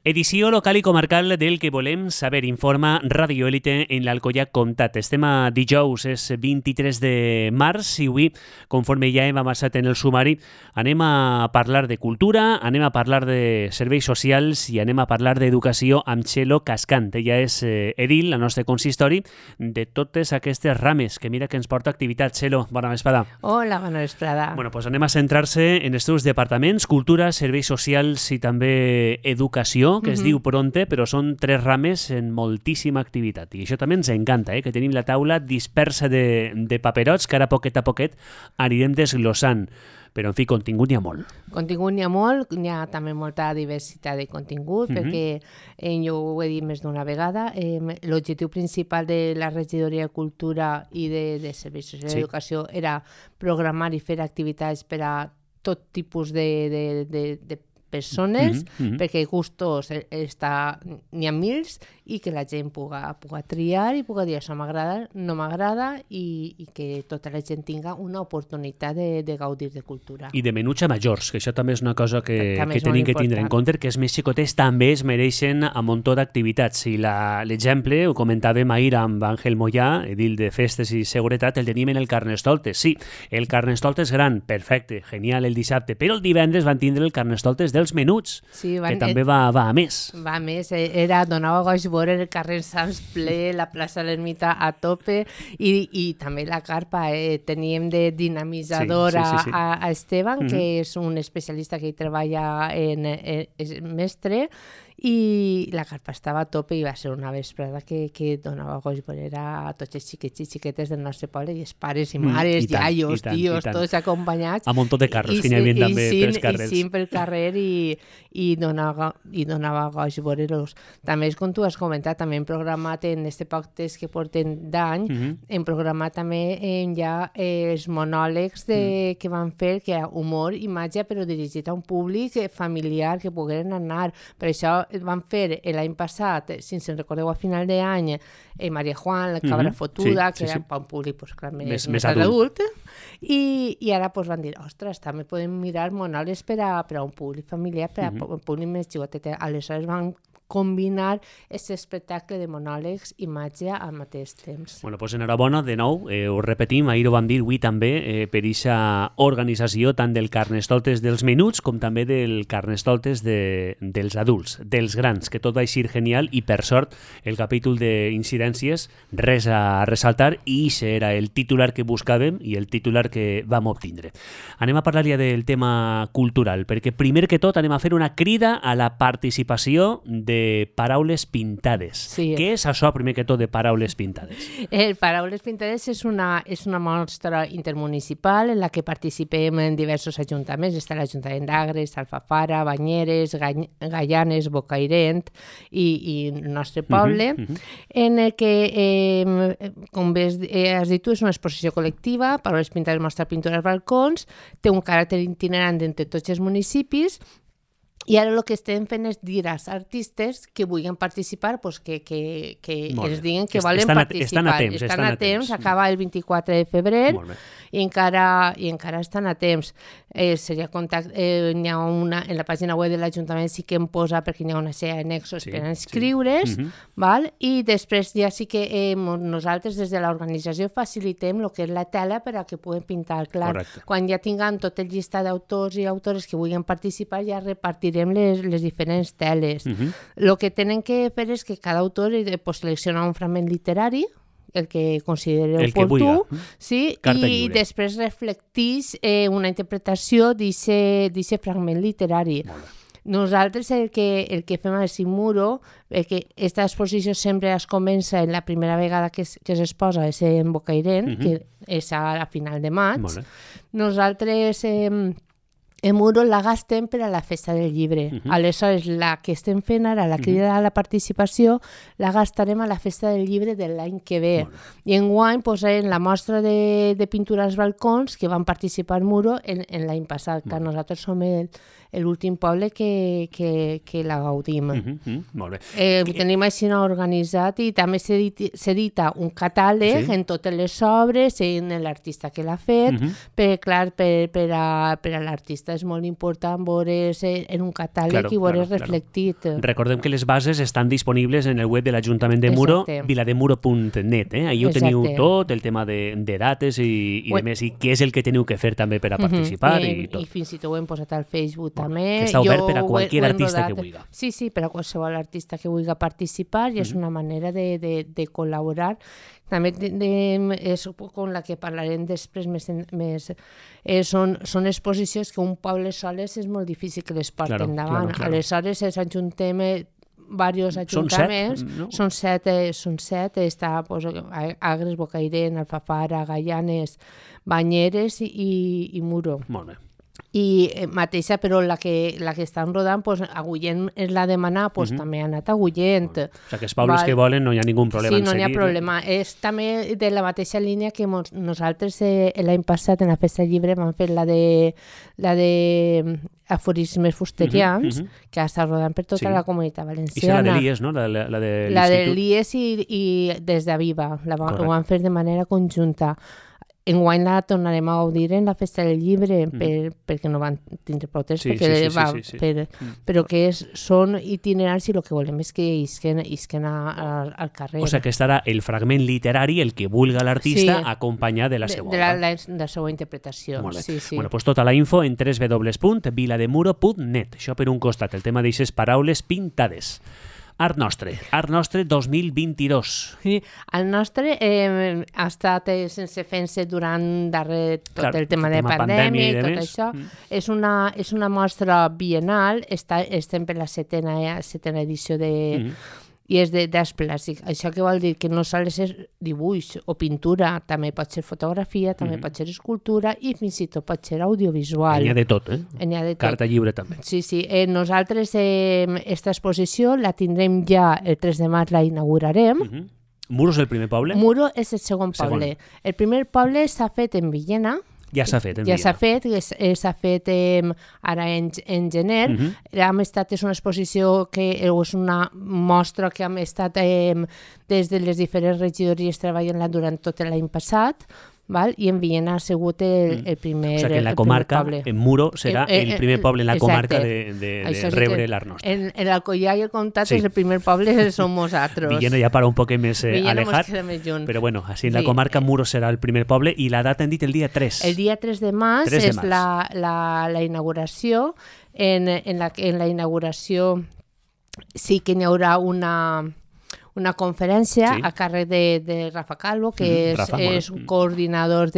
Edició local i comarcal del que volem saber, informa Radio Élite en l'Alcoià Comtat. Estem a dijous, és 23 de març i avui, conforme ja hem avançat en el sumari, anem a parlar de cultura, anem a parlar de serveis socials i anem a parlar d'educació amb Txelo Cascant. Ella és edil, la nostra consistori, de totes aquestes rames, que mira que ens porta activitat. Txelo, bona vesprada. Hola, bona vesprada. Bueno, pues anem a centrar-se en els teus departaments, cultura, serveis socials i també educació, que es diu Pronte, però són 3 rames en moltíssima activitat. I això també ens encanta, que tenim la taula dispersa de paperots que ara poquet a poquet anirem desglossant. Però, en fi, contingut n'hi ha molt. Contingut n'hi ha molt, n'hi ha també molta diversitat de contingut, perquè jo ho he dit més d'una vegada, l'objectiu principal de la regidoria de Cultura i de Serveis Socials i Educació era programar i fer activitats per a tot tipus de persones, perquè gustos n'hi ha mils i que la gent puga triar i puga dir això m'agrada, no m'agrada i que tota la gent tinga una oportunitat de gaudir de cultura. I de menuts a majors, que això també és una cosa que tenim que tindre en compte, que els més xicotets també es mereixen a muntó d'activitats. I l'exemple, ho comentàvem ahir amb Àngel Mollà, edil de Festes i Seguretat, el tenim en el Carnestoltes. Sí, el Carnestoltes gran, perfecte, genial el dissabte, però el divendres van tindre el Carnestoltes dels menuts, que també va a més. Va a més, donava goig veure el carrer Sants ple, la plaça de l'Ermita a tope i també la carpa. Teníem de dinamitzador a Esteban, que és un especialista que hi treballa és mestre, i la carpa estava a tope i va ser una vesprada que donava goig veure a tots els xiquets i xiquetes del nostre poble i els pares i mares, iaios, tios, tots acompanyats. A muntó de carros que n'hi havia també pels carrers. I pel carrer i donava goig veure-los. També, com tu has comentat, també hem programat en aquest poc temps que porten d'any, hem programat també ja els monòlegs que van fer, que era humor i màgia, però dirigit a un públic familiar que pogueren anar. Per això van fer l'any passat, si ens en recordeu a final d'any, Maria Juan, la cabra fotuda, que era per un públic més adult, i ara van dir, ostres, també podem mirar monòlegs per a un públic familiar, per a un públic més xicotet. Aleshores van combinar aquest espectacle de monòlegs i màgia al mateix temps. Bueno, doncs enhorabona, de nou, ho repetim, ahir ho vam dir avui també, per aquesta organització tant del Carnestoltes dels menuts com també del Carnestoltes dels adults, dels grans, que tot va eixir genial i per sort el capítol d'incidències res a ressaltar i això era el titular que buscàvem i el titular que vam obtindre. Anem a parlar ja del tema cultural, perquè primer que tot anem a fer una crida a la participació de paraules pintades. Sí. Què és això, primer que tot, de paraules pintades? Paraules pintades és una mostra intermunicipal en la que participem en diversos ajuntaments. Està l'Ajuntament d'Agres, Alfafara, Banyeres, Gaianes, Bocairent i el nostre poble, en el que, com has dit tu, és una exposició col·lectiva. Paraules pintades mostra pintura als balcons, té un caràcter itinerant entre tots els municipis. I ara el que estem fent és dir als artistes que vulguin participar, que ens diguin que volen participar. Estan a temps, acaba el 24 de febrer i encara estan a temps. Seria n'hi ha una, en la pàgina web de l'Ajuntament sí que em posa, perquè n'hi ha una sèrie d'annexos per inscriure's, i després ja sí que nosaltres des de l'organització facilitem el que és la tela per a que puguin pintar. Clar, quan ja tinguem tot el llistat d'autors i autores que vulguin participar, ja repartirem les diferents teles. El que tenen que fer és que cada autor selecciona un fragment literari, el que consideri oportú, i després reflecteix una interpretació d'aquest fragment literari. Nosaltres el que fem al Simuro, que aquesta exposició sempre es comença en la primera vegada que s'exposa, és en Bocairent, que és a final de maig. Nosaltres el muro la gastem per a la festa del llibre. Aleshores, la que estem fent ara, la crida a la participació, la gastarem a la festa del llibre de l'any que ve. I enguany posarem la mostra de pintura als balcons que van participar al muro en l'any passat, que nosaltres som l'últim poble que la gaudim. Molt bé. Tenim així organitzat i també s'edita un catàleg en totes les obres, en l'artista que l'ha fet, perquè clar, per a l'artista és molt important veure's en un catàleg i veure's reflectit. Recordem que les bases estan disponibles en el web de l'Ajuntament de Muro, vilademuro.net. Ahí ho teniu tot, el tema de dates i de més, i què és el que teniu que fer també per a participar i tot. I fins i tot ho hem posat al Facebook també. Que està obert per a qualsevol artista que vulgui. Sí, per a qualsevol artista que vulgui participar, i és una manera de col·laborar. També és com la que parlarem després més són exposicions que un poble soles és molt difícil que les porti endavant. Aleshores ens ajuntem diversos ajuntaments, són set, està Agres, Bocairent, Alfafara, Gaianes, Banyeres i Muro. Molt bé. I mateixa, però la que estan rodant, Agullent és la demanar, també ha anat a Agullent. O sigui, que els pobles que volen no hi ha ningú problema en seguir. Sí, no hi ha problema. És també de la mateixa línia que nosaltres l'any passat en la Festa del Llibre vam fer la de aforismes fusterians, que està rodant per tota la comunitat valenciana. I la de l'IES, no? La de l'IES i des d'Aviva. Ho van fer de manera conjunta. Enguany la tornarem a gaudir en la Festa del Llibre perquè no van tindre protest, però que són itinerants i el que volem és que isquen al carrer. O sigui que estarà el fragment literari, el que vulga l'artista, acompanyat de la seva obra. De la seva interpretació. Molt bé. Bueno, doncs tota la info en www.vilademuro.net. Això per un costat, el tema d'aixes paraules pintades. Art Nostre 2022. Sí, el nostre ha estat sense fent-se durant tot el tema de pandèmia i tot això. És una mostra biennal, estem per la setena edició i és d'art plàstic. Això què vol dir? Que no sols és dibuix o pintura, també pot ser fotografia, també pot ser escultura i fins i tot pot ser audiovisual. N'hi ha de tot, Carta lliure també. Sí. Nosaltres esta exposició la tindrem ja el 3 de març, la inaugurarem. Muro és el primer poble? Muro és el segon poble. El primer poble s'ha fet en Villena. Ja s'ha fet, s'ha fet ara en gener. És una exposició que és una mostra que hem estat des de les diferents regidories treballant durant tot l'any passat. I en Villena ha sigut el primer poble. O sigui que en la comarca, en Muro, serà el primer poble en la comarca de rebre l'Art Nostre. En l'Alcoià i el Comtat és el primer poble, som nosaltres. Villena ja para un poc més alejat, però bueno, així en la comarca Muro serà el primer poble i la data hem dit el dia 3. El dia 3 de març és la inauguració. En la inauguració sí que n'hi haurà una conferència a càrrec de Rafa Calvo, que és un coordinador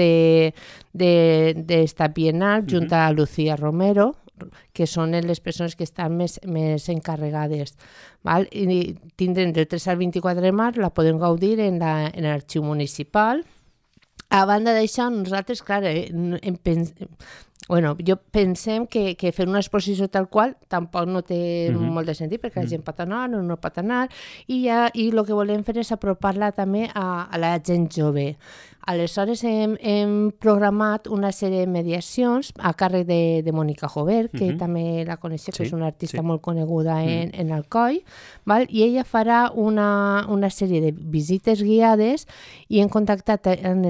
d'esta biennal, junt a Lucía Romero, que són les persones que estan més encarregades. I tindrem del 3 al 24 de març, la podem gaudir en l'arxiu municipal. A banda d'això, nosaltres, clar, pensem que fer una exposició tal qual tampoc no té molt de sentit, perquè la gent pot anar o no pot anar, i el que volem fer és apropar-la també a la gent jove. Aleshores hem programat una sèrie de mediacions a càrrec de Mònica Jover, que també la coneixeu, que és una artista molt coneguda en Alcoi, i ella farà una sèrie de visites guiades i hem contactat en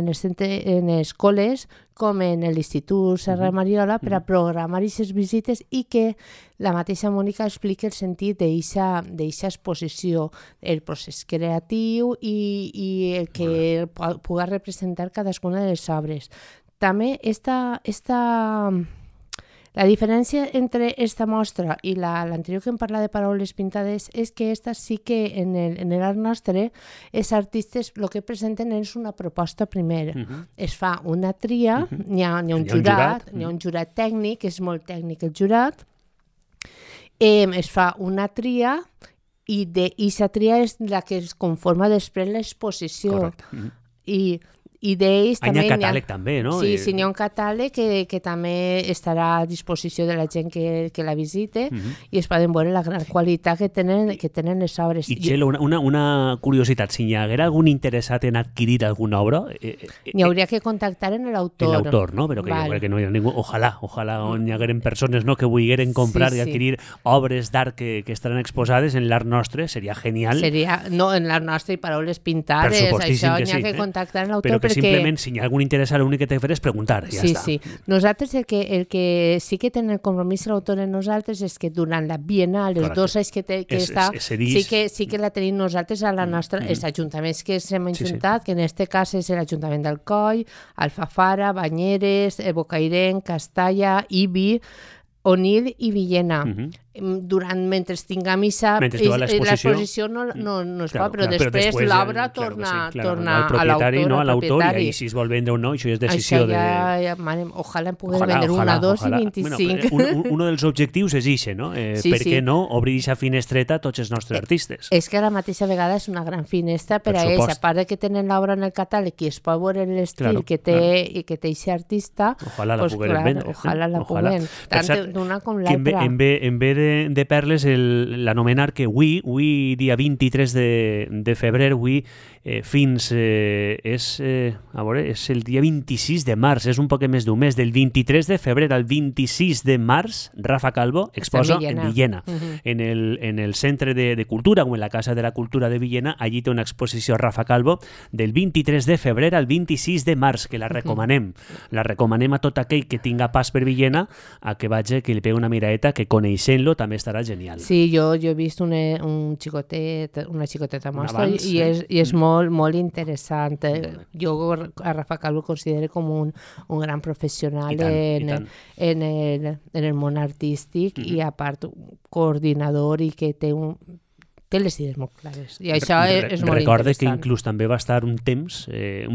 escoles com en l'Institut Serra Mariola per a programar aquestes visites i que la mateixa Mònica explica el sentit d'aquesta exposició, el procés creatiu i el que pugui representar cadascuna de les obres. També la diferència entre aquesta mostra i l'anterior que em parla de paraules pintades és que esta sí que en l'Art Nostre els artistes el que presenten és una proposta primer. Es fa una tria, n'hi ha un jurat tècnic, és molt tècnic el jurat, es fa una tria i aquesta tria és la que es conforma després l'exposició. I I d'ells també... Hi ha catàleg també, no? Sí, n'hi ha un catàleg que també estarà a disposició de la gent que la visite i es poden veure la gran qualitat que tenen les obres. I Txelo, una curiositat, si hi haguera algun interessat en adquirir alguna obra... N'hi hauria que contactar en l'autor. En l'autor, no? Però que jo crec que no hi ha ningú... Ojalà n'hi hagueren persones que vulgueren comprar i adquirir obres d'art que estaran exposades en l'art nostre, seria genial. No, en l'art nostre i paraules pintades, això n'hi ha que contactar en l'autor. Però que simplement, si hi ha algun interessat, l'únic que t'he de fer és preguntar, ja està. Sí. Nosaltres el que sí que tenen el compromís l'autor en nosaltres és que durant la Bienal, els 2 anys que està, sí que la tenim nosaltres a la nostra, els ajuntaments que s'hem ajuntat, que en aquest cas és l'Ajuntament d'Alcoi, Alfafara, Banyeres, Bocairent, Castalla, Ibi, Onil i Villena. Mentre tinga missa, l'exposició no es pot, però després l'obra torna a l'autor, i si es vol vendre o no, això és decisió de... Ojalà en puguem vendre una, 2 i 25. Un dels objectius és això, no? Per què no obrir aquesta finestreta a tots els nostres artistes? És que a la mateixa vegada és una gran finestra per a ells, a part que tenen l'obra en el catàleg i es pot veure l'estil que té aquest artista, ojalà la puguem vendre. Ojalà la puguem, tant d'una com l'altra. En ve de perles l'anomenar que avui dia 23 de febrer, avui fins és el dia 26 de març, és un poc més d'un mes, del 23 de febrer al 26 de març, Rafa Calvo exposa en Villena, en el Centre de Cultura o en la Casa de la Cultura de Villena. Allí té una exposició Rafa Calvo del 23 de febrer al 26 de març, que la recomanem a tot aquell que tinga pas per Villena a que vagi, que li pegui una miradeta, que coneixent-lo també estarà genial. Sí, jo he vist una xicoteta mostra i és molt interessant. Jo a Rafa Calvo considero com un gran professional en el món artístic i a part coordinador i que té les idees molt clares. I això és molt Recorde interessant. que inclús també va estar un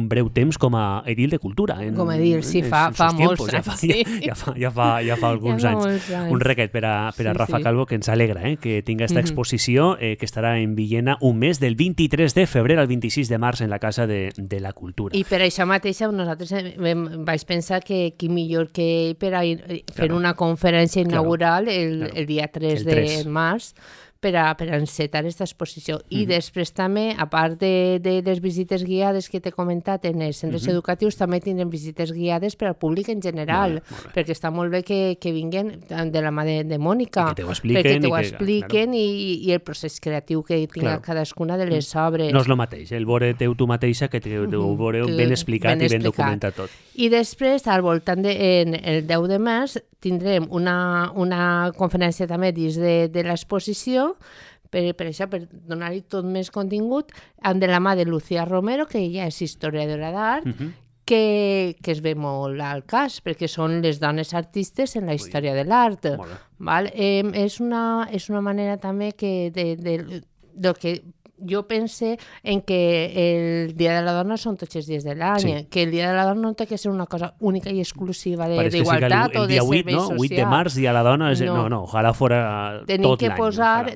breu temps com a edil de cultura. Com a edil, sí, fa molts anys. Ja fa alguns anys. Un requet per a Rafa Calvo, que ens alegra que tinga aquesta exposició que estarà en Villena un mes, del 23 de febrer al 26 de març en la Casa de la Cultura. I per això mateix nosaltres vaig pensar que qui millor que ell per a fer una conferència inaugural el dia 3 de març, per a encetar aquesta exposició. I després també, a part de les visites guiades que t'he comentat en els centres educatius, també tindrem visites guiades per al públic en general, perquè està molt bé que vinguen de la mà de Mònica, perquè t'ho expliquen i el procés creatiu que tinga cadascuna de les obres. No és el mateix, el veure teu tu mateixa que ho veureu ben explicat i ben documentat tot. I després, al voltant el 10 de març, tindrem una conferència també dins de l'exposició, per això, per donar-hi tot més contingut, de la mà de Lucía Romero, que ella és historiadora d'art, que es ve molt al cas, perquè són les dones artistes en la història de l'art. És una manera també del que jo pense en que el Dia de la Dona són tots els dies de l'any, que el Dia de la Dona no té que ser una cosa única i exclusiva d'igualtat o de serveis socials. El dia 8 de març, Dia de la Dona, no, ojalà fora tot l'any.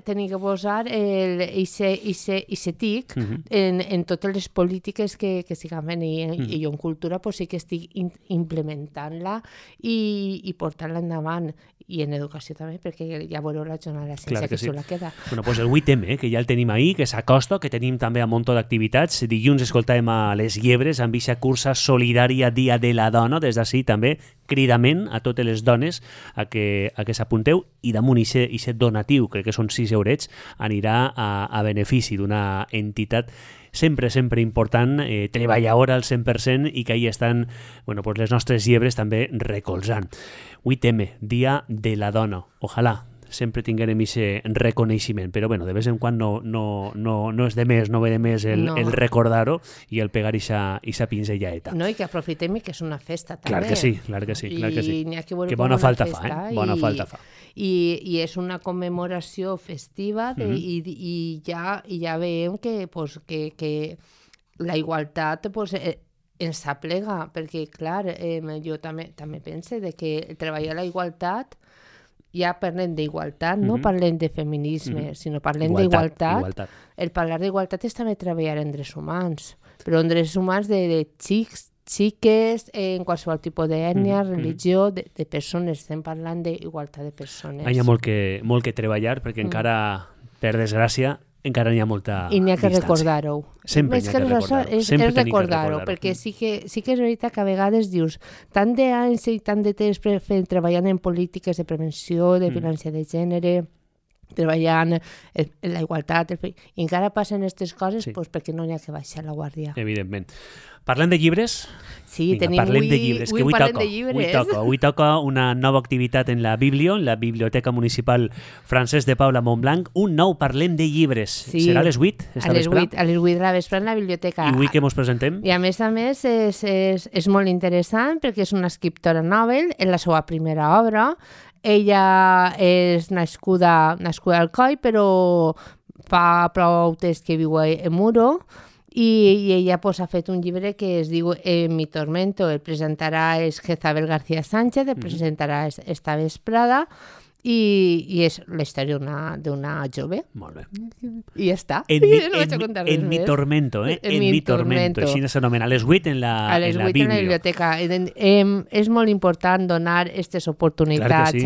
Tenim que posar aquest tic en totes les polítiques que estiguen fent, i jo en cultura sí que estic implementant-la i portant-la endavant, i en educació també, perquè ja veureu la jornada de la ciència que xula queda. Bueno, doncs el 8M, que ja el tenim ahí, que s'acosta, que tenim també un munt d'activitats. Dilluns escoltàvem a Les Llebres amb aquesta cursa solidària Dia de la Dona. Des d'ací també cridament a totes les dones a que s'apunteu, i damunt aquest donatiu, crec que són 6 eurets, anirà a benefici d'una entitat sempre important, treballadora al 100%, i que ahí estan les nostres llebres també recolzant. 8M, Dia de la Dona. Ojalà sempre tinguem aquest reconeixement, però de vez en quan no és de més, no ve de més el recordar-ho i el pegar aquesta pinzellaeta. No, i que aprofitem i que és una festa també. Clar que sí. Que bona falta fa, bona falta fa. I és una commemoració festiva i ja veiem que la igualtat ens aplega, perquè clar, jo també penso que treballar la igualtat, ja parlem d'igualtat, no parlem de feminisme, sinó parlem d'igualtat. El parlar d'igualtat és també treballar en drets humans, però en drets humans de xics, xiques, en qualsevol tipus d'ètnia, religió, de persones. Estem parlant d'igualtat de persones. Hi ha molt que treballar, perquè encara, per desgràcia, encara n'hi ha molta i n'hi ha que distància. recordar-ho. Sempre n'hi ha que recordar-ho. És recordar-ho, perquè sí que és veritat que a vegades dius tant d'anys i tant de temps treballant en polítiques de prevenció, de violència de gènere, treballant en la igualtat, i encara passen aquestes coses perquè no n'hi ha que baixar la guàrdia. Evidentment. Parlem de llibres? Sí, parlem de llibres, que avui toca una nova activitat en la Biblioteca Municipal Francesc de Paula Montblanc. Un nou Parlem de llibres. Serà a les 8? A les 8 de la vespre en la biblioteca. I avui què ens presentem? I a més és molt interessant perquè és una escriptora novel, en la seva primera obra. Ella és nascuda al Coi, però fa prou temps que viu a Muro, i ella ha fet un llibre que es diu Mi tormento. El presentarà Jezabel García Sánchez, el presentarà esta vesprada, i és la història d'una jove. Molt bé. I ja està. En Mi tormento, En Mi tormento. Així s'anomena. A les 8 en la biblioteca. És molt important donar aquestes oportunitats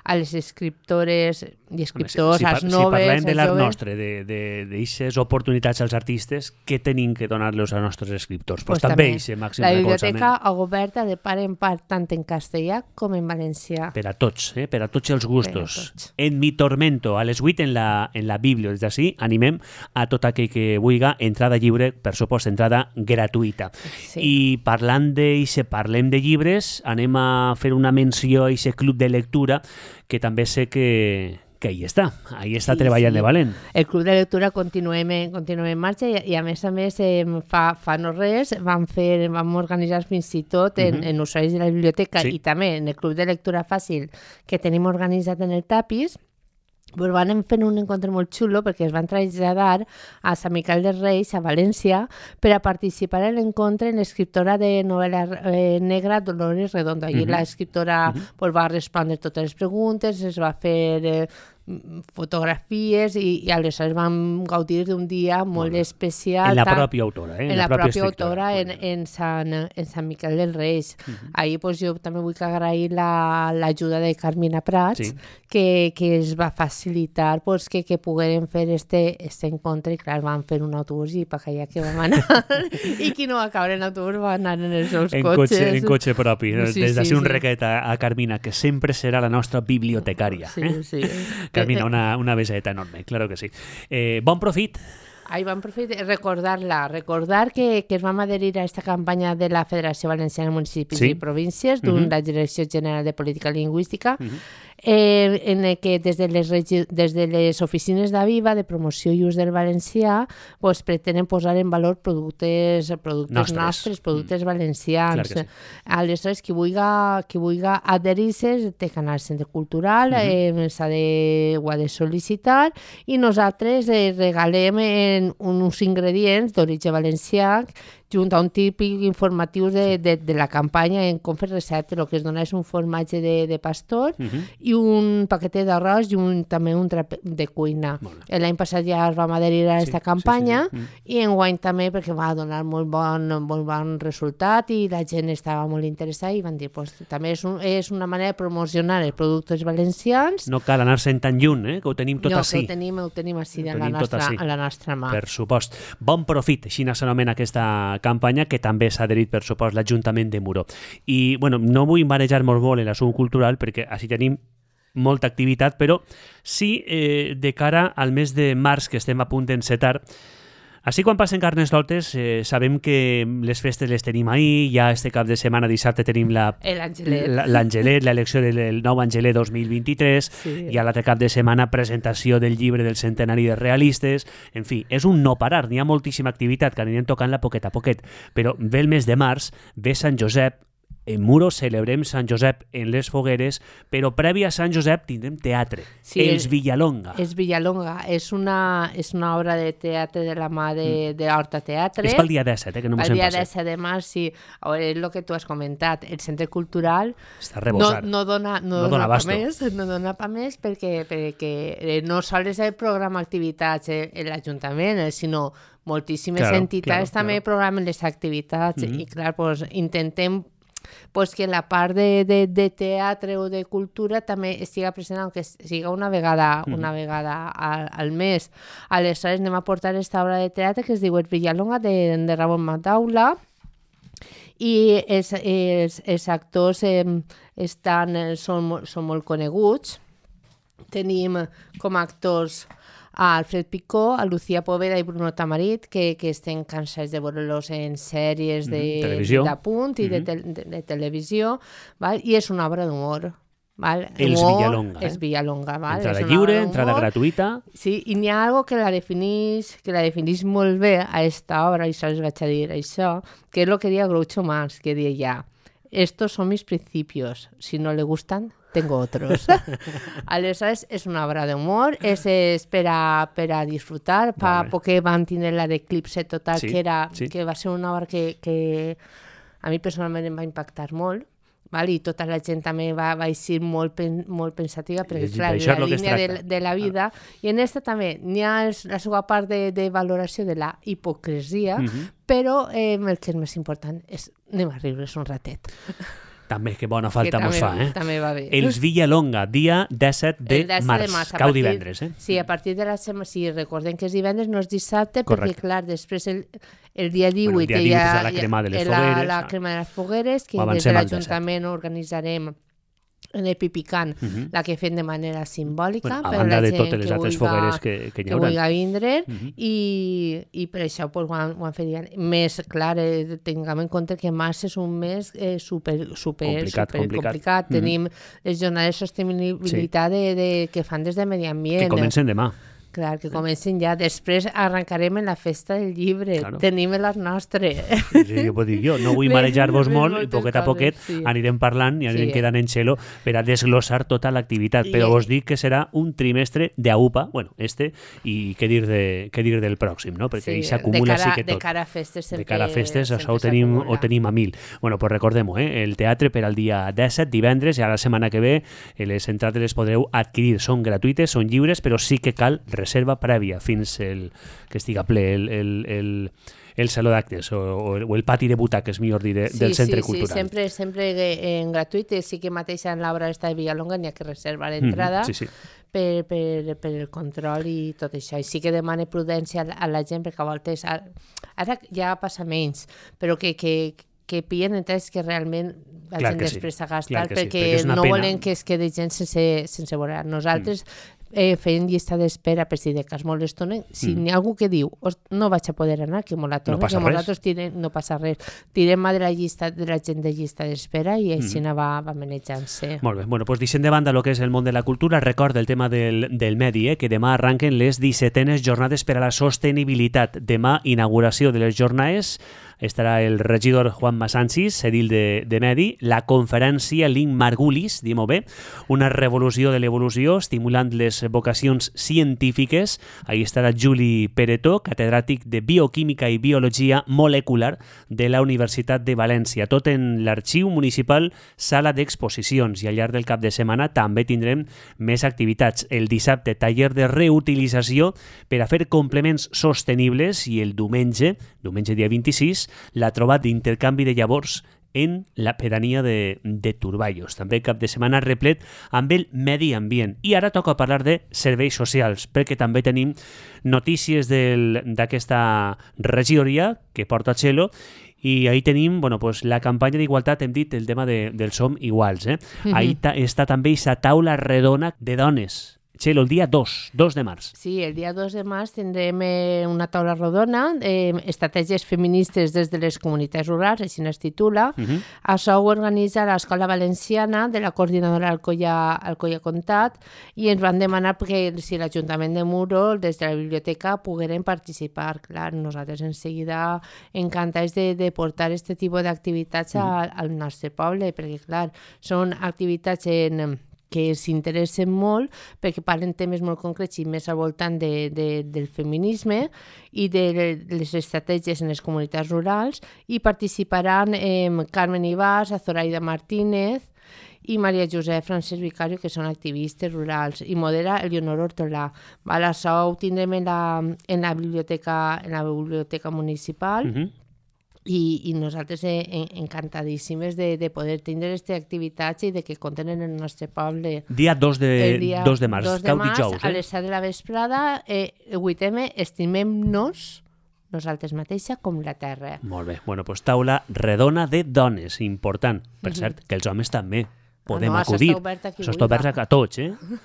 a les escriptores i escriptors, als noves, si parlem de l'art nostre, d'aixes oportunitats als artistes, què tenim que donar-los als nostres escriptors? Pues també aquest màxim recolzament. La biblioteca oberta de part en part, tant en castellà com en valencià. Per a tots, per a tots els gustos. En Mi tormento, a les 8 en la Bíblia. Des d'ací animem a tot aquell que vulgui, entrada lliure, per supost, entrada gratuïta. I parlem de llibres, anem a fer una menció a aquest club de lectura, que també sé que ahí està treballant de valent. El Club de Lectura continuem en marxa i a més fa no res vam organitzar fins i tot en usuaris de la biblioteca i també en el Club de Lectura Fàcil que tenim organitzat en el Tapis. Pues van fer un encontre molt xulo perquè es van traslladar a Sant Miquel dels Reis, a València, per a participar en l'encontre en l'escriptora de novel·la negra Dolores Redondo. Allí l'escriptora va respondre totes les preguntes, es va fer fotografies i aleshores vam gaudir d'un dia molt especial. En la pròpia autora, en la pròpia autora, en Sant Miquel dels Reis. Ahir jo també vull agrair l'ajuda de Carmina Prats, que es va facilitar que poguérem fer este encontre, i clar, vam fer un autobús i per allà que vam anar. I qui no va caure en l'autobús va anar en els seus cotxes. En cotxe propi. Des d'ací un requet a Carmina, que sempre serà la nostra bibliotecària. Sí. Carmina, una beseta enorme, claro que sí. Bon profit. Bon profit, recordar que es vam adherir a aquesta campanya de la Federació Valenciana de Municipis i Províncies, de la Direcció General de Política Lingüística, en què des de les oficines d'Aviva de promoció i ús del valencià pretenen posar en valor productes nostres, productes valencians. Aleshores, qui vulgui adherir-se té que anar al centre cultural, ho ha de sol·licitar, i nosaltres regalem uns ingredients d'origen valencià junt a un típic informatiu de la campanya en com fer receptes. El que es dona és un formatge de pastor i un paquet d'arròs i també un drap de cuina. L'any passat ja es vam adherir a aquesta campanya i enguany també perquè va donar molt bon resultat i la gent estava molt interessada i van dir també és una manera de promocionar els productes valencians. No cal anar-se'n tan lluny, que ho tenim tot ací. No, ho tenim ací a la nostra mà. Per supost. Bon profit, així s'anomena aquesta campanya, que també s'ha adherit, per supost, l'Ajuntament de Muro. I, no vull marejar molt en l'assumpte cultural, perquè així tenim molta activitat, però sí de cara al mes de març, que estem a punt d'encetar. Així, quan passen Carnestoltes, sabem que les festes les tenim ahir, ja este cap de setmana, dissabte, tenim l'Angelet, l'elecció del nou Angelet 2023, i a l'altre cap de setmana presentació del llibre del centenari de realistes. En fi, és un no parar, n'hi ha moltíssima activitat que anirem tocant-la poquet a poquet, però ve el mes de març, ve Sant Josep, en Muro celebrem Sant Josep en les fogueres, però previ a Sant Josep tindrem teatre, sí, Els Villalonga. És Villalonga, és una obra de teatre de la mà de Horta Teatre. És pel dia 17, que no m'ho sent pas. El dia 17 de març, sí. A veure, és el que tu has comentat, el centre cultural està rebossat. No dona pa més perquè no sols el programa activitats l'Ajuntament, sinó moltíssimes entitats també programen les activitats i clar, pues, intentem pues, que la part de teatre o de cultura també estigui present, aunque siga una vegada al mes. Aleshores anem a portar aquesta obra de teatre que es diu El Villalonga de Ramon Mataula i els actors són molt coneguts. Tenim com a actors a Alfred Picó, a Lucía Poveda i Bruno Tamarit, que estem cansats de veure-los en sèries d'apunt i de televisió, val? I és una obra d'humor. Els Villalonga. És Villalonga. Entrada lliure, entrada gratuïta. Sí, i n'hi ha algo que la definís molt bé a esta obra, i sols vaig a dir això, que és el que deia Groucho Marx, que deia, estos son mis principios, si no le gustan, tengo otros. Aleshores, és una obra d'humor, és per a disfrutar. Fa poc que van tenir la d'Eclipse Total, que va ser una obra que a mi personalment em va impactar molt, i tota la gent també va ser molt pensativa, perquè clar, la línia de la vida. I en aquesta també n'hi ha la seva part de valoració de la hipocresia, però el que és més important és anem a riure's un ratet. També, que bona falta mos fa, També va bé. Els Villalonga, dia 17 de març, cau divendres, Sí, a partir de la setmana, sí, recordem que és divendres, no és dissabte, perquè, clar, després el dia 18 hi ha la crema de les fogueres. La crema de les fogueres, que des de l'Ajuntament organitzarem en el Pipicant, la que fem de manera simbòlica, a banda de totes les altres fogueres que hi haurà. Que vulgui vindre, i per això ho han fet més clar. Tinguem en compte que març és un mes super complicat. Tenim les jornades de sostenibilitat que fan des de Medi Ambient. Que comencen demà. Clar, que comencen ja. Després arrencarem en la festa del llibre. Tenim les nostres. Sí, jo puc dir jo. No vull marejar-vos molt i poquet a poquet anirem parlant i anirem quedant en xelo per a desglossar tota l'activitat. Però vos dic que serà un trimestre d'AUPA, bueno, i què dir del pròxim, no? Perquè hi s'acumula sí que tot. De cara a festes sempre. De cara a festes, això ho tenim a 1000. Bueno, pues recordem-ho, el teatre per al dia 17, divendres, i a la setmana que ve les entrades les podreu adquirir. Són gratuïtes, són lliures, però sí que cal reserva prèvia fins que estiga ple el saló d'actes o el pati de butaques, millor dir, del centre cultural. Sí, sempre en gratuït. Sí que mateix en l'obra de Villalonga n'hi ha que reservar l'entrada per el control i tot això. I sí que demana prudència a la gent, perquè a voltes ara ja passa menys, però que pillen entrades que realment vagin després a gastar, perquè no volen que es quedi gent sense veure. Nosaltres fent llista d'espera per si de cas molt estonen. Si n'hi ha algú que diu no vaig a poder anar, que me la torni, que nosaltres no passa res. Tirem de la gent de llista d'espera i així va manejant-se. Molt bé, bueno, doncs deixem de banda el que és el món de la cultura. Recorda el tema del medi, que demà arranquen les 17enes jornades per a la sostenibilitat. Demà, inauguració de les jornades, estarà el regidor Juan Masanchis, edil de Medi, la conferència Link Margulis, diguem-ho bé, una revolució de l'evolució, estimulant les vocacions científiques. Ahí estarà Juli Peretó, catedràtic de Bioquímica i Biologia Molecular de la Universitat de València. Tot en l'Arxiu Municipal, sala d'exposicions, i al llarg del cap de setmana també tindrem més activitats. El dissabte, taller de reutilització per a fer complements sostenibles, i el diumenge dia 26, la trobada d'intercanvi de llavors en la pedania de Turballos. També cap de setmana replet amb el medi ambient. I ara toca parlar de serveis socials, perquè també tenim notícies d'aquesta regidoria que porta Txelo, i ahí tenim la campanya d'igualtat, hem dit el tema del Som Iguals. Ahí està també aquesta taula redona de dones Txelo, el dia 2 de març. Sí, el dia 2 de març tindrem una taula rodona, estratègies feministes des de les comunitats rurals, així es titula. Això ho organitza l'Escola Valenciana de la coordinadora Alcoia Comtat i ens van demanar que si l'Ajuntament de Muro, des de la biblioteca, pogueren participar. Clar, nosaltres en seguida encantats de portar aquest tipus d'activitats al nostre poble, perquè clar, són activitats que s'interessen molt perquè parlen temes molt concrets i més al voltant del feminisme i de les estratègies en les comunitats rurals, i participaran Carmen Ibars, Zoraida Martínez i Maria Josep Francesc Vicario, que són activistes rurals, i modera Elionor Hortolà. Això ho tindrem en la biblioteca municipal. I nosaltres encantadíssimes de poder tindre aquestes activitats i de que compten en el nostre poble. Dia 2 de març, cau dijous. A les 7 de la vesprada, 8M, estimem-nos nosaltres mateixa com la terra. Molt bé. Bueno, doncs taula redona de dones, important. Per cert, que els homes també podem acudir. Això està obert a tots,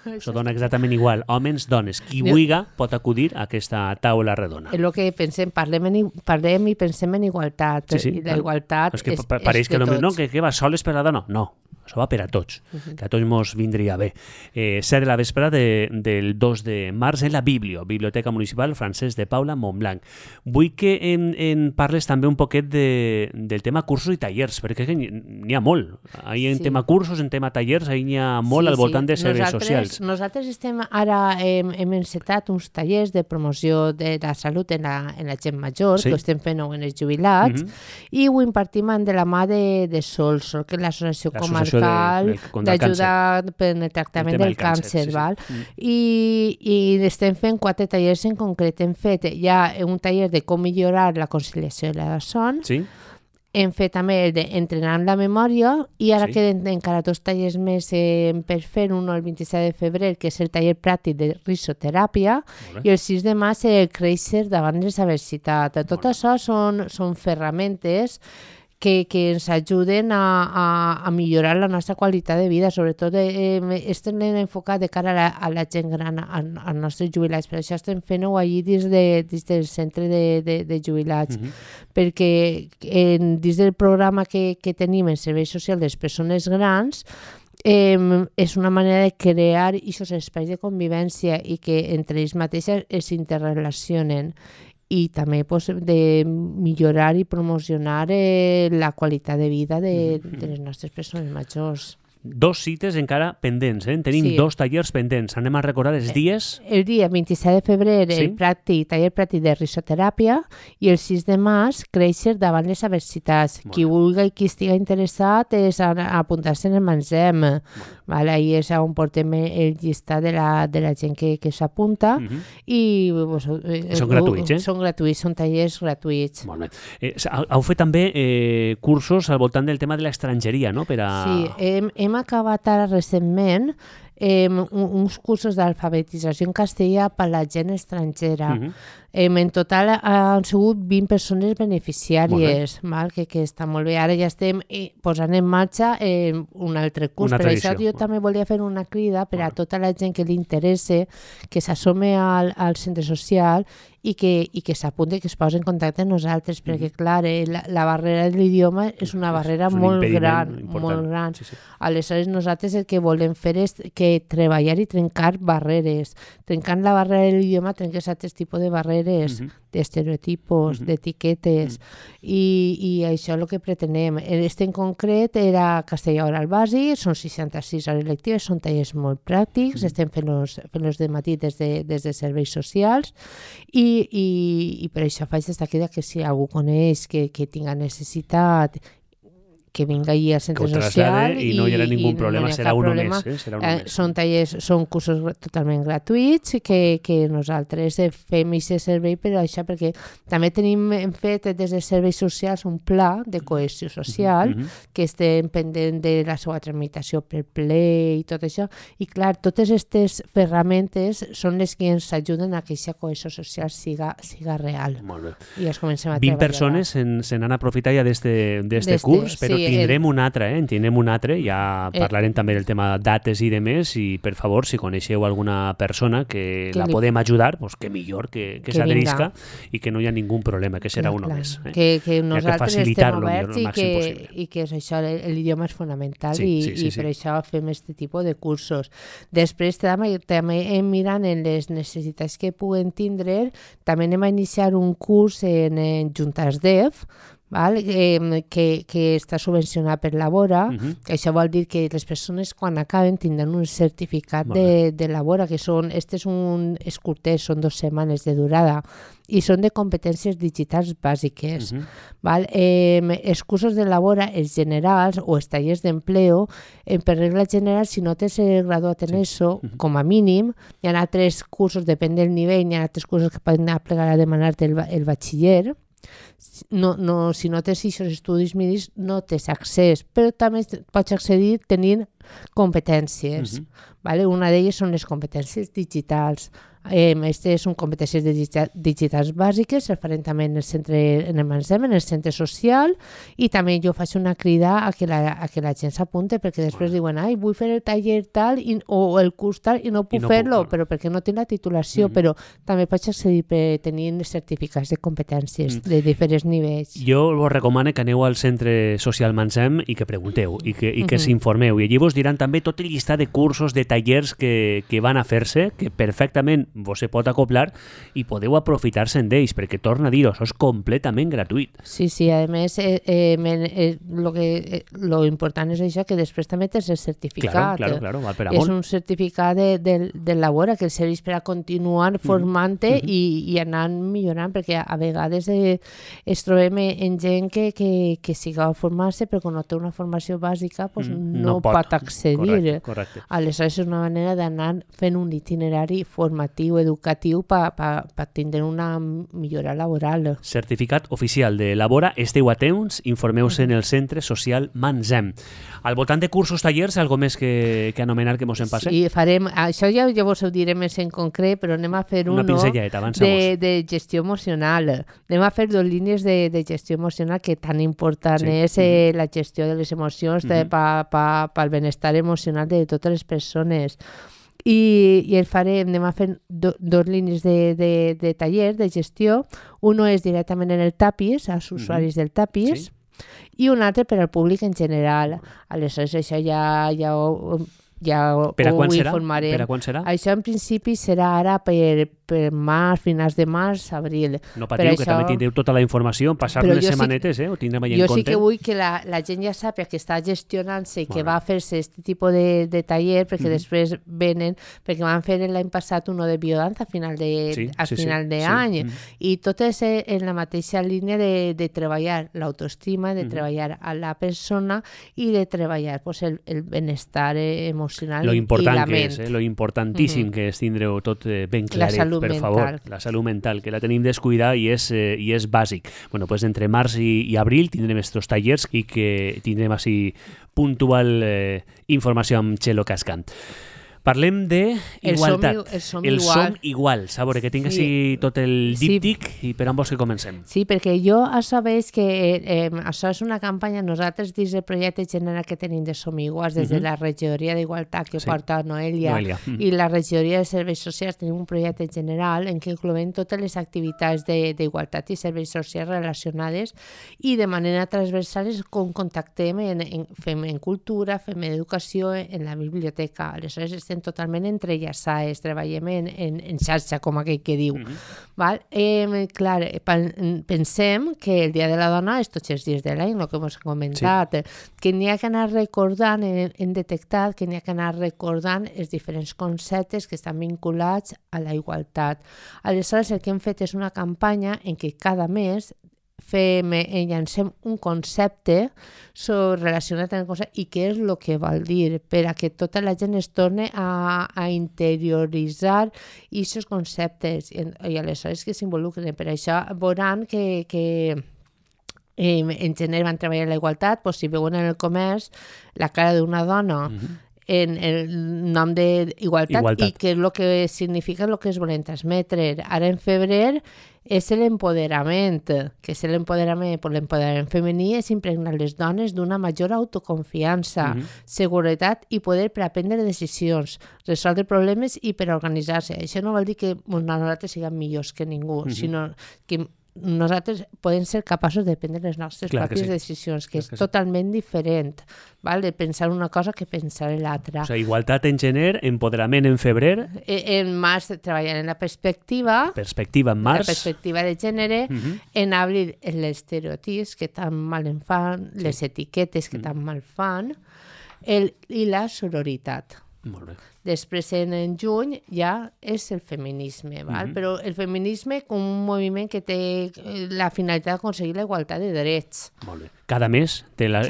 Això dona exactament igual. Homes, dones, qui vulgui pot acudir a aquesta taula redona. És el que pensem, parlem i pensem en igualtat. Sí, i la igualtat és de tots. Pareix que no, que va soles per la dona. No, això va per a tots, que a tots mos vindria bé. 7 de la vespre del 2 de març en la Biblioteca Municipal Francesc de Paula, Montblanc. Vull que en parles també un poquet del tema cursos i tallers, perquè n'hi ha molt. En tema cursos, en tema tallers, n'hi ha molt al voltant de serveis socials. Nosaltres hem encetat uns tallers de promoció de la salut en la gent major, que ho estem fent en els jubilats, i ho impartim de la mà de Sols, que és l'associació comarcal d'ajuda en el tractament del càncer. I estem fent 4 tallers en concret. Hem fet ja un taller de com millorar la conciliació de la son, hem fet també el d'entrenar la memòria, i ara queden encara 2 tallers més per fer, un el 27 de febrer, que és el taller pràctic de risoteràpia, i el 6 de març el créixer davant les adversitats. Tot això són ferramentes que ens ajuden a millorar la nostra qualitat de vida, sobretot estem enfocat de cara a la gent gran, als nostres jubilats. Per això estem fent-ho allí dins del centre de jubilats, perquè dins del programa que tenim en serveis socials de les persones grans, és una manera de crear aquests espais de convivència i que entre ells mateixes es interrelacionen, i també de millorar i promocionar la qualitat de vida de les nostres persones majors. 2 cites encara pendents, Tenim 2 tallers pendents. Anem a recordar els dies. El dia 27 de febrer, el taller pràctic de risoteràpia, i el 6 de març, créixer davant les adversitats. Qui vulgui i qui estigui interessat és apuntar-se en el Mangem. Ahí és on portem el llistat de la gent que s'apunta, i són gratuïts, Són gratuïts, són tallers gratuïts. Molt bé. Heu fet també cursos al voltant del tema de l'estrangeria, no? Sí, hem acabat ara recentment uns cursos d'alfabetització en castellà per a la gent estrangera. En total han sigut 20 persones beneficiàries, que està molt bé. Ara ja estem posant en marxa un altre curs. Per això jo també volia fer una crida per a tota la gent que li interessa, que s'assome al centre social i que s'apunti, que es posi en contacte amb nosaltres, perquè clar, la barrera de l'idioma és una barrera molt gran. Aleshores nosaltres el que volem fer és que treballar i trencar barreres. Trencant la barrera de l'idioma trenques altres tipus de barreres, d'estereotipos, d'etiquetes, i això és el que pretenem. En concret era castellà oral bàsic, són 66 hores lectives, són tallers molt pràctics, estem fent-los de matí des de serveis socials, i per això faig aquesta crida que si algú coneix que tinga necessitat, que vinga allí al centre social i no hi haurà ningú problema, serà un mes. Són cursos totalment gratuïts que nosaltres fem aquest servei per això, perquè també hem fet des de serveis socials un pla de cohesió social que estem pendent de la seva tramitació per ple i tot això, i clar, totes aquestes ferramentes són les que ens ajuden a que aquesta cohesió social siga real. Molt bé. I ja comencem a treballar. 20 persones se n'han aprofitat ja d'este curs, però tindrem un altre, en tindrem un altre, ja parlarem també del tema dates i demés, i per favor, si coneixeu alguna persona que la podem ajudar, pues que millor que s'adherisca i que no hi ha ningú problema, que serà uno més. Que nosaltres estem oberts i que és això, l'idioma és fonamental i per això fem aquest tipus de cursos. Després també mirant en les necessitats que puguen tindre, també anem a iniciar un curs en Juntes Dev, que està subvencionat per Labora, que això vol dir que les persones quan acaben tindran un certificat de Labora, que este és és curtet, són 2 setmanes de durada, i són de competències digitals bàsiques. Els cursos de Labora, els generals o els tallers d'empleo, per regla general, si no t'has graduat en eso, com a mínim, hi ha altres cursos, depèn del nivell, hi ha altres cursos que poden plegar a demanar-te el batxiller. Si no tens aquests estudis mínims no tens accés, però també pots accedir tenint competències. Una d'elles són les competències digitals. Aquestes són competències digitals bàsiques, es farem també en el MANSEM, en el centre social, i també jo faig una crida a que la gent s'apunte, perquè després diuen, vull fer el taller tal o el curs tal i no puc fer-lo, però perquè no tinc la titulació, però també pots accedir per tenir certificats de competències de diferents nivells. Jo vos recomano que aneu al centre social MANSEM i que pregunteu i que s'informeu, i allí vos diran també tot el llistat de cursos, de tallers que van a fer-se, que perfectament vos se pot acoplar i podeu aprofitar-se'n d'ells, perquè torna a dir-ho, això és completament gratuït. Sí, a més, lo important és això, que després també tens el certificat. Claro, val per amunt. És un certificat de Labora que serveix per a continuar formant-te i anar millorant, perquè a vegades es trobem en gent que siga a formar-se, però quan no té una formació bàsica no pot accedir. Correcte. Aleshores és una manera d'anar fent un itinerari formatiu, educatiu, per tindre una millora laboral. Certificat oficial de Labora, esteu a temps, informeu-se en el centre social MANSEM. Al voltant de cursos, tallers, algo més que anomenar que mos en passe? Sí, farem, això ja vos ho diré més en concret, però anem a fer una pinzelleta, avançamos. De gestió emocional. Anem a fer 2 línies de gestió emocional, que tan important és la gestió de les emocions pel benestar emocional de totes les persones. I anem a fer 2 línies de tallers de gestió. Uno és directament en el TAPIS, als usuaris del TAPIS, i un altre per al públic en general. Aleshores, això ja ho informarem. Per a quan serà? Això en principi serà ara per març, finals de març, abril. No patiu, que també tindreu tota la informació, passar les setmanetes, ho tindrem allà en compte. Jo sí que vull que la gent ja sàpiga que està gestionant-se i que va a fer-se aquest tipus de taller, perquè després venen, perquè van fer l'any passat uno de biodanza a final d'any, i tot és en la mateixa línia de treballar l'autoestima, de treballar a la persona i de treballar el benestar emocional i la ment. Lo importantíssim que és tindre-ho tot ben claret. Per favor, la salut mental, que la tenim descuidada i és bàsic. Bueno, pues entre març i abril tindrem estos tallers i que tindrem així puntual informació amb Txelo Cascant. Parlem de igualtat. El som igual. A veure, que tinc així tot el díptic i per on vols que comencem? Sí, perquè jo sabeu que això és una campanya, nosaltres dins del projecte general que tenim de Som Iguals, des de la regidoria d'Igualtat que porta Noelia i la regidoria de Serveis Socials, tenim un projecte general en què incloem totes les activitats d'igualtat i serveis socials relacionades, i de manera transversal és com contactem, fem en cultura, fem en educació, en la biblioteca. Aleshores estem totalment entrellaçades, treballem en xarxa, com aquell que diu. Clar, pensem que el Dia de la Dona és tots els dies de l'any, el que hem comentat, que n'hi ha que anar recordant, hem detectat que n'hi ha que anar recordant els diferents conceptes que estan vinculats a la igualtat. Aleshores, el que hem fet és una campanya en què cada mes llancem un concepte relacionat amb el concepte i què és el que vol dir, per a que tota la gent es torni a interioritzar aquests conceptes i aleshores que s'involucren. Per això veuran que en gener van treballar la igualtat, si veuen en el comerç la cara d'una dona en el nom d'igualtat i que és el que significa el que es volen transmetre. Ara en febrer és l'empoderament, que és l'empoderament femení, és impregnar les dones d'una major autoconfiança, seguretat i poder per aprendre decisions, resoldre problemes i per organitzar-se. Això no vol dir que nosaltres siguem millors que ningú, sinó que nosaltres podem ser capaços de prendre les nostres pròpies decisions, que és totalment diferent, de pensar una cosa que pensar l'altra. O sigui, igualtat en gener, empoderament en febrer. En març treballant en la perspectiva. Perspectiva en març. La perspectiva de gènere. En abril, els estereotips que tan mal en fan, les etiquetes que tan mal fan, i la sororitat. Molt bé. Després, en juny, ja és el feminisme, però el feminisme com un moviment que té la finalitat d'aconseguir la igualtat de drets. Molt bé. Cada mes té la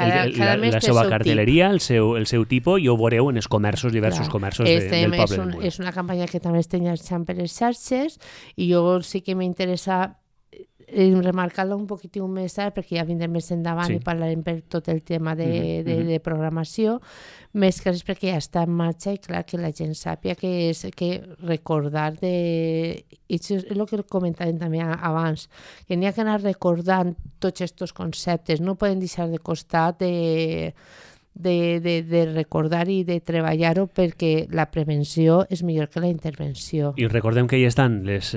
seva cartelleria, el seu tipus, i ho veureu en els comerços, diversos comerços del poble de Muro. És una campanya que també estem llançant per les xarxes i jo sí que m'interessa remarcar-la un poquitiu més tard perquè ja vindrem més endavant i parlarem per tot el tema de programació, més que res perquè ja està en marxa i clar que la gent sàpia que recordar i això és el que comentàvem també abans, que n'hi ha que anar recordant tots aquests conceptes, no poden deixar de costat de recordar i de treballar-ho perquè la prevenció és millor que la intervenció. I recordem que hi estan les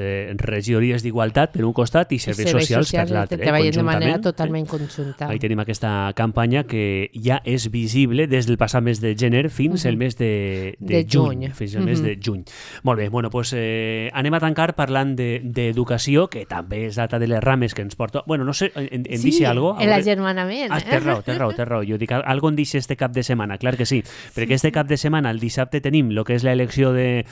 regidories d'igualtat per un costat i serveis socials per l'altre. Treballen de manera totalment conjunta. Ahí tenim aquesta campanya que ja és visible des del passat mes de gener fins al mes de juny. Fins al mes de juny. Molt bé, bueno, doncs anem a tancar parlant d'educació, que també és data de les rames que ens porta... Bueno, no sé, em deixi algo? Sí, l'agermanament. Té raó. Jo dic, algo en deixi este cap de setmana, clar que sí, perquè este cap de setmana, el dissabte, tenim el que és l'elecció de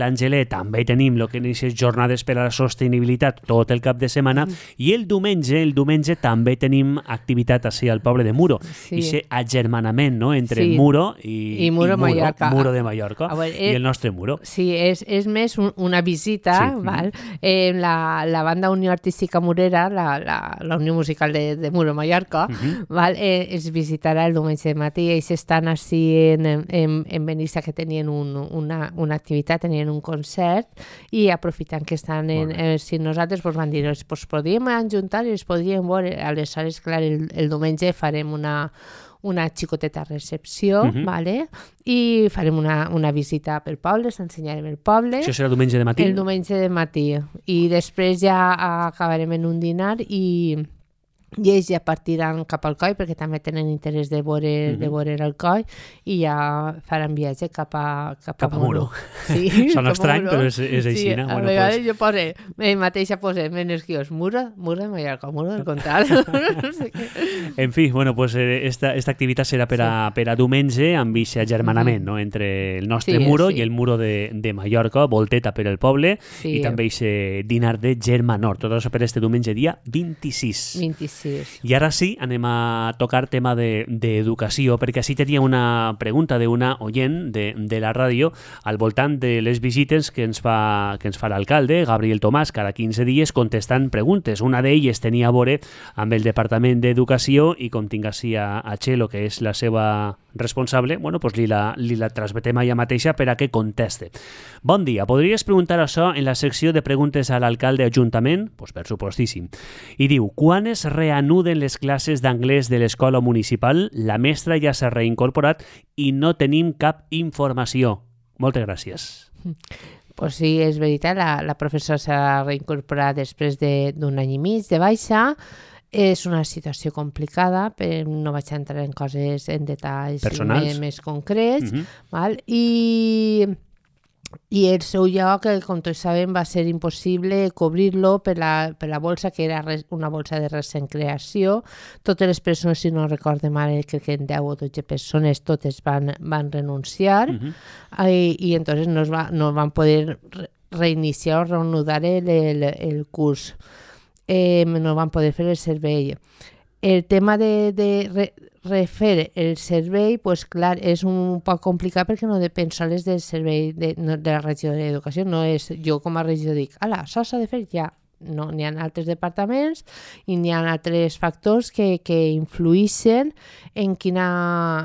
l'Angelet, també tenim el que és jornades per a la sostenibilitat tot el cap de setmana, i el diumenge també tenim activitat així al poble de Muro, i aquest agermanament entre Muro i Muro de Mallorca, i el nostre Muro. Sí, és més una visita, la banda Unió Artística Murera, la Unió Musical de Muro Mallorca, es visitarà el diumenge de matí. Ells estan així en Benissa, que tenien una activitat, tenien un concert, i aprofitant que estan si nosaltres van dir, doncs podríem ajuntar i els podríem veure. Aleshores, clar, el diumenge farem una xicoteta recepció, i farem una visita pel poble, s'ensenyarem el poble. Això serà diumenge de matí? El diumenge de matí. I després ja acabarem en un dinar i ells ja partiran cap al Coi, perquè també tenen interès de veure el Coi, i ja faran viatge cap a Muro. Sí, sona estrany, però és així. Sí, a vegades jo mateixa posem en els guions Muro de Mallorca, Muro del Comtat. En fi, bueno, pues esta activitat serà per a diumenge, amb aquest agermanament entre el nostre Muro i el Muro de Mallorca, volteta per el poble, i també aquest dinar de germanor. Tot això per este diumenge, dia 26. I ara sí, anem a tocar tema d'educació, perquè així tenia una pregunta d'una oient de la ràdio al voltant de les visites que ens fa l'alcalde, Gabriel Tomàs, cada 15 dies contestant preguntes. Una d'elles tenia a veure amb el Departament d'Educació i com tinc així a Txelo, que és la seva responsable, bueno, pues li la transmetem a ella mateixa per a que conteste. Bon dia, podries preguntar això en la secció de preguntes a l'alcalde Ajuntament? Pues per supostíssim. I diu, quan es reanuden les classes d'anglès de l'escola municipal? La mestra ja s'ha reincorporat i no tenim cap informació. Moltes gràcies. Pues sí, és veritat, la professora s'ha reincorporat després d'un any i mig de baixa. És una situació complicada, però no vaig entrar en coses, en detalls més concrets. I el seu lloc, com tots sabem, va ser impossible cobrir-lo per la bolsa, que era una bolsa de recent creació. Totes les persones, si no recordo mal, crec que en 10 o 12 persones, totes van renunciar, i entonces no van poder reiniciar o reanudar el curs. No van poder fer el servei. El tema de refer el servei, pues clar, és un poc complicat perquè no depèn sols del servei de la regió d'educació. No és jo com a regió dic, això s'ha de fer ja. No, n'hi ha altres departaments i n'hi ha altres factors que influïxen en quina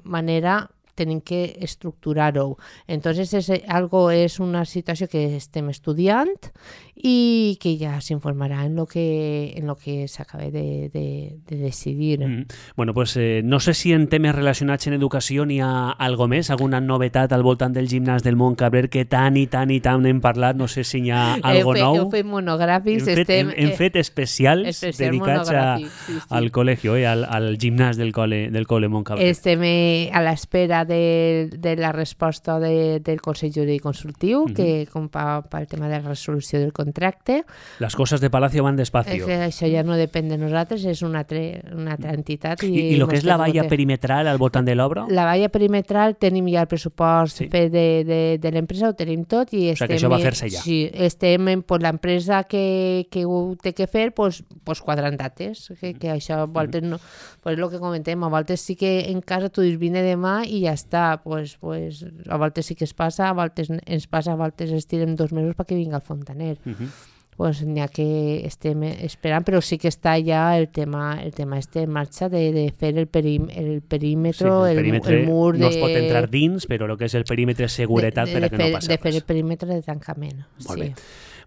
manera tenim que estructurar-ho. Entonces és una situació que estem estudiant i que ja s'informarà en lo que s'acaba de decidir. Bueno, pues no sé si en temes relacionats en educació n'hi ha algo més, alguna novetat al voltant del gimnàs del Montcabrer que tant i tant hem parlat, no sé si n'hi ha algo nou. Heu fet monogràfics. Hem fet especials dedicats al col·legi, al gimnàs del col·le Montcabrer. Estem a l'espera de la resposta del Consell Jurídic Consultiu, que com pel tema de la resolució del contracte. Les coses de Palacio van despacio. Això ja no depèn de nosaltres, és una altra entitat. I el que és la valla perimetral al voltant de l'obra? La valla perimetral tenim ja el pressupost de l'empresa, ho tenim tot. O sigui que això va fer-se ja. Sí, estem l'empresa que ho té que fer, pues quadrant dates, que això a voltes no, pues el que comentem, a voltes sí que en casa tu dius vine demà i ja està, pues a voltes sí que es passa, a voltes ens passa, a voltes estirem 2 mesos perquè vinga el fontaner. Pues n'hi ha que estem esperant, però sí que està ja el tema en marxa de fer el perímetre, el mur no es pot entrar dins, però el que és el perímetre de seguretat per a que no passi res. De fer el perímetre de tancament. Molt bé.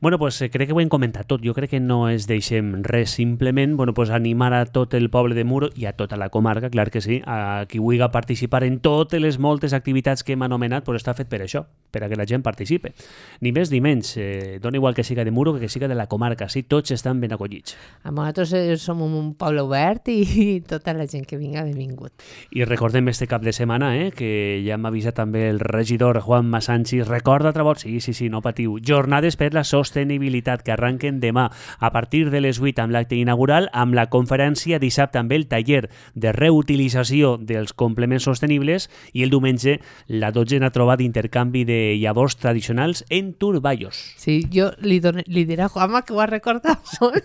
Bueno, pues crec que ho hem comentat tot. Jo crec que no es deixem res, simplement animar a tot el poble de Muro i a tota la comarca, clar que sí, a qui vulgui participar en totes les moltes activitats que hem anomenat, pues està fet per això, per a que la gent participe. Ni més ni menys, dona igual que siga de Muro que siga de la comarca, sí, tots estan ben acollits. Nosaltres som un poble obert i tota la gent que vinga benvingut. I recordem este cap de setmana, que ja m'ha avisat també el regidor Juan Masanchis, recorda altra volta, sí, no patiu, jornades per la sostenibilitat que arranquen demà a partir de les 8 amb l'acte inaugural, amb la conferència dissabte amb el taller de reutilització dels complements sostenibles i el diumenge la 12a trobada d'intercanvi de llavors tradicionals en Turballos. Sí, jo li diré a Juanma que ho ha recordat molt.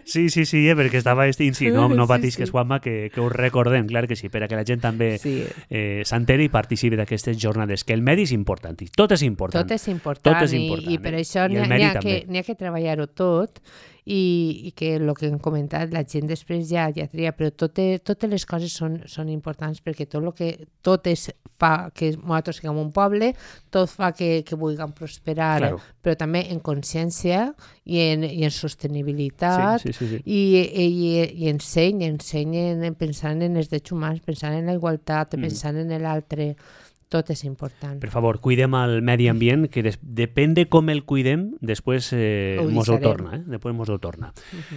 Sí, perquè estava estint, sí, no patís que és Juanma, que ho recordem, clar que sí, per a que la gent també s'enteri i participi d'aquestes jornades, que el medi és important, tot és important. Tot és important i per això n'hi ha que treballar-ho tot i que el que hem comentat, la gent després ja tria, però totes les coses són importants perquè tot fa que nosaltres siguem un poble, tot fa que vulguem prosperar, claro. Però també en consciència i en sostenibilitat i ensenyen pensant en els drets humans, pensant en la igualtat, pensant en l'altre. Tot és important. Per favor, cuidem el medi ambient, que depèn de com el cuidem, després mos ho torna. Després mos ho torna.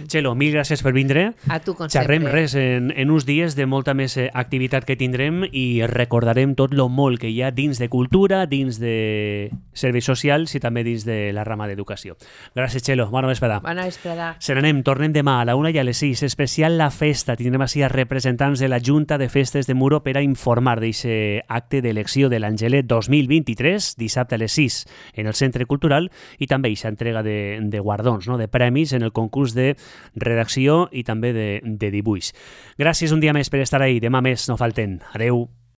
Txelo, mil gràcies per vindre. A tu, com xerrem sempre. Res en uns dies de molta més activitat que tindrem i recordarem tot lo molt que hi ha dins de cultura, dins de serveis socials i també dins de la rama d'educació. Gràcies, Txelo. Bona vesprada. Bona vesprada. Se n'anem. Tornem demà a la 1 i a les 6. Especial la festa. Tindrem així a representants de la Junta de Festes de Muro per a informar d'aquest acte d'elecció de l'Angelet 2023, dissabte a les 6 en el Centre Cultural, i també aquesta entrega de guardons, de premis en el concurs de redacció i també de dibuix. Gràcies un dia més per estar ahí. Demà més no falten. Adeu.